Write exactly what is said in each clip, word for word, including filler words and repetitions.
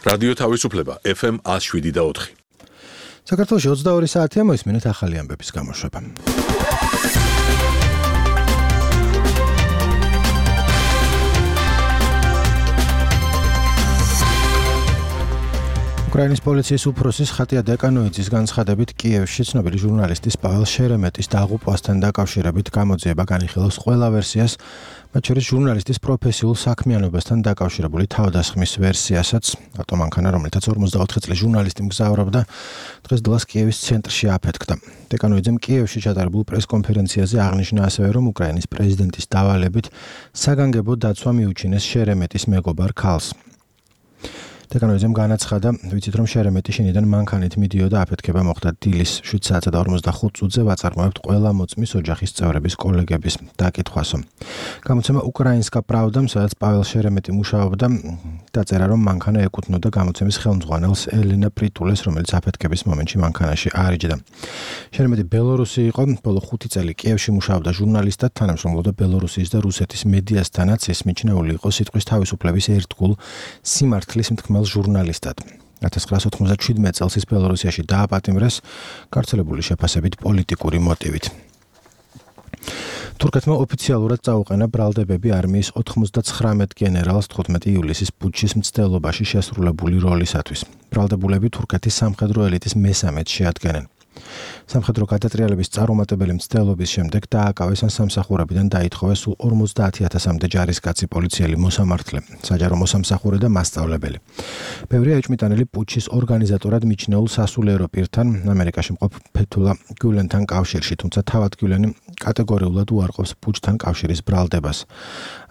რადიო თავისუფლება ეფ ემ one oh seven და four. საქართველოში ოცდაორი საათია მოისმინეთ ახალი ამბების გამოშვება. უკრაინის პოლიციის უფროსის ხატია დეკანოიძის განცხადებით კიევში ცნობილი ჟურნალისტის პაվել შერემეტის დაღუპვასთან დაკავშირებით გამოძიება განიხილავს ყველა ვერსიას, მათ შორის ჟურნალისტის პროფესიულ საქმიანობასთან დაკავშირებული თავდასხმის ვერსიასაც. ავტომანქანა, რომელთაც ორმოცდაოთხი წლის ჟურნალისტი მგზავრობდა, დღეს დილას კიევის ცენტრში აფეთქდა. დეკანოიძემ კიევში ჩატარებულ პრესკონფერენციაზე აღნიშნა ასევე, რომ უკრაინის პრეზიდენტის დავალებით საგანგებო დაცვა მიუჩინეს შერემეტის მეგობარ ქალს. დეკანოიძემ განაცხადა, ვიცით რომ შერემეტი შინიდან მანქანით მიდიოდა, აფეთქება მოხდა დილის შვიდ საათსა და ორმოცდახუთ წუთზე, ვაწარმოებთ ყველა მოწმის ოჯახის წევრების კოლეგების დაკითხვასო. გამოცემა უკრაინსკა პრავდამ, სადაც პაվել შერემეტი მუშაობდა, დაწერა, რომ მანქანა ეკუთვნოდა გამოცემის ხელმძღვანელს ელენა პრიტულეს, რომელიც აფეთქების მომენტში მანქანაში არიჯდა. შერემეტი ბელორუსი იყო, ბოლო ხუთი წელი კიევში მუშაობდა ჟურნალისტად, თანამშრომლობდა ბელორუსიის და რუსეთის მედიასთანაც, ის მიჩნეული იყო სიტყვის თავისუფლების ერთგულ სიმართლის მთქმელ ჟურნალისტად. ათას ცხრაასი ოთხმოცდაშვიდმეტ წელს ის ბელორუსიაში დააპატიმრეს გავრცელებული შეფასებით პოლიტიკური მოტივით. თურქეთმა ოფიციალურად წაუყენა ბრალდებები არმიის ოთხმოცდაცხრამეტ გენერალს თხუთმეტი ივლისის პუტჩის მცდელობაში შესრულებული როლისათვის. ბრალდებულები თურქეთის სამხედრო ელიტის მესამედს შეადგენენ. სამხედრო გადატრიალების წარუმატებელი მცდელობის შემდეგ დააკავეს ან სამსახურებიდან დაითხოვეს სულ ორმოცდაათი ათასამდე ჯარისკაცი, პოლიციელი, მოსამართლე, საჯარო მოსამსახურე და მასწავლებელი. ბევრია ეჭვმიტანილი პუტჩის ორგანიზატორად მიჩნეულ სასულიერო პირთან, ამერიკაში მყოფ ფეთულა გულენთან კავშირში, თუმცა თავად გულენი კატეგორიულად უარყოფს პუტჩთან კავშირის ბრალდებას.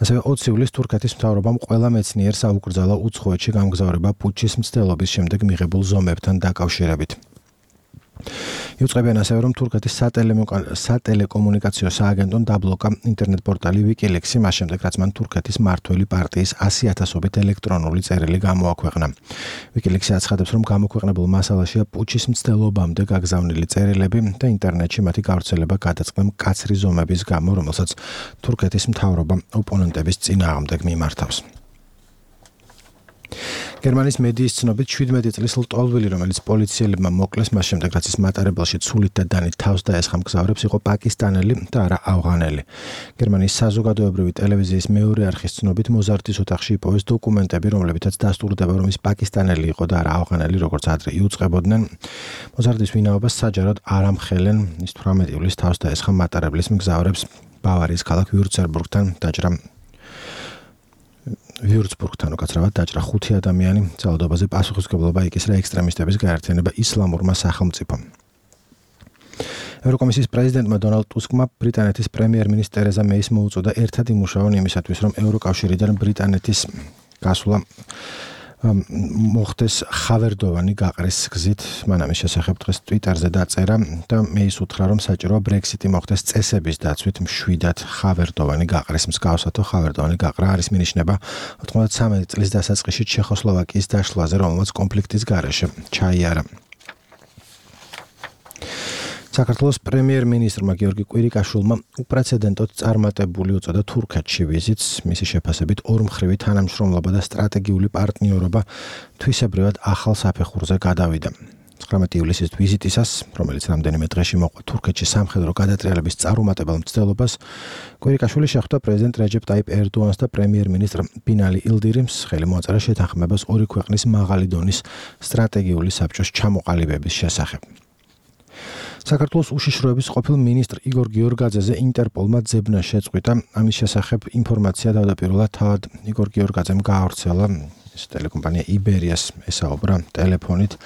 ასევე ოცი ივლისს თურქეთის მთავრობამ ყველა მეცნიერს აუკრძალა უცხოეთში გამგზავრება პუტჩის მცდელობის შემდეგ მიღებულ ზომებთან დაკავშირებით. იუწყებიან ასევე, რომ თურქეთის სატელეკომუნიკაციო სააგენტომ დაბლოკა ინტერნეტ პორტალი ვიკილექსი, მას შემდეგ, რაც მან თურქეთის მმართველი პარტიის ასი ათასობით ელექტრონული წერილი გამოაქვეყნა. ვიკილექსი აცხადებს, რომ გამოქვეყნებულ მასალაშია პუტჩის მცდელობამდე გაგზავნილი წერილები და ინტერნეტში მათი გავრცელება გადაწყდა მკაცრი ზომების გამო, რომელსაც თურქეთის მთავრობა ოპონენტების წინააღმდეგ მიმართავს. გერმანიის მედიის ცნობით შვიდმეტი წლის ლტოლვილი, რომელიც პოლიციელებმა მოკლეს, მას შემდეგ, რაც ის მატარებელში ცულით და დანით თავს დაესხა მგზავრებს, იყო პაკისტანელი და არა ავღანელი. გერმანიის საზოგადოებრივი ტელევიზიის მეორე არხის ცნობით მოზარდის ოთახში იპოვეს დოკუმენტები, რომლებითაც დასტურდება, რომ ის პაკისტანელი იყო და არა ავღანელი, როგორც ადრე იუწყებოდნენ. მოზარდის ვინაობას საჯაროდ არ ამხელენ. ის თვრამეტი ივლისს თავს დაესხა მატარებლის მგზავრებს ბავარიის ქალაქ ვიურცბურგთან დაჭრა ვიურცბურგთან უკაცრავად დაჭრა ხუთი ადამიანი, ძალადობაზე პასუხისმგებლობა იკისრა ექსტრემისტების გაერთიანება ისლამურმა სახელმწიფომ. ევროკომისიის პრეზიდენტმა დონალდ ტუსკმა ბრიტანეთის პრემიერ-მინისტრ ტერეზა მეის მოუწოდა ერთად იმუშაონ იმისათვის, რომ ევროკავშირიდან ბრიტანეთის გასვლა მოხდეს ხავერდოვანი გაყრის გზით. მან ამის შესახებ დღეს ტვიტერზე დაწერა და მეის უთხრა, რომ საჭიროა ბრექსიტი მოხდეს წესების დაცვით მშვიდად ხავერდოვანი გაყრის მსგავსათო. ხავერდოვანი გაყრა არის მინიშნება ოთხმოცდათრამეტი წლის დასაწყისში ჩეხოსლოვაკიის დაშლაზე, რომელმაც კონფლიქტის გარეშე ჩაიარა. საქართველოს პრემიერ-მინისტრმა გიორგი კვირიკაშვილმა უპრეცედენტოდ წარმატებული უწოდა თურქეთში ვიზიტს. მისი შეფასებით ორმხრივი თანამშრომლობა და სტრატეგიული პარტნიორობა თვისებრივად ახალ საფეხურზე გადავიდა. ცხრამეტი ივლისის ვიზიტისას, რომელიც რამდენიმე დღეში მოყვა თურქეთში სამხედრო გადატრიალების წარუმატებელ მცდელობას, კვირიკაშვილი შეხვდა პრეზიდენტ რეჯეპ ტაიპ ერდოანს და პრემიერ-მინისტრ ბინალი ილდირიმს, ხელი მოაწერა შეთანხმებას ორი ქვეყნის მაღალი დონის სტრატეგიული საბჭოს ჩამოყალიბების შესახებ. საქართველოს უშიშროების ყოფილ მინისტრ იგორ გიორგაძეზე ინტერპოლმა ძებნა შეწყვიტა. ამის შესახებ ინფორმაცია თავდაპირველად თავად იგორ გიორგაძემ გაავრცელა. ეს ტელეკომპანია იბერიას ესაუბრა ტელეფონით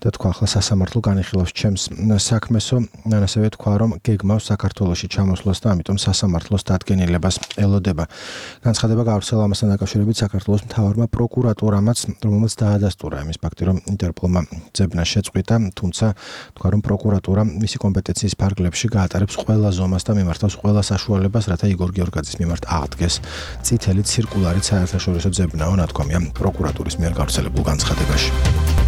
და თქვა, ახლა სასამართლო განიხილავს ჩემს საქმესო. ასევე თქვა, რომ გეგმავს საქართველოში ჩამოსვლას და ამიტომ სასამართლოს დადგენილებას ელოდება. განცხადება გაავრცელა ამასთან დაკავშირებით საქართველოს მთავარმა პროკურატურამაც, რომელმაც დაადასტურა იმის ფაქტი, რომ ინტერპოლმა ძებნა შეწყვიტა, თუმცა თქვა, რომ პროკურატურა მისი კომპეტენციის ფარგლებში გაატარებს ყველა ზომას და მიმართავს ყველა საშუალებას, რათა იგორ გიორგაძის მიმართ აღდგეს წითელი ცირკულარი საერთაშორისო ძებნაო, ნათქვამია პროკურატურის მიერ გავრცელებულ განცხადებაში.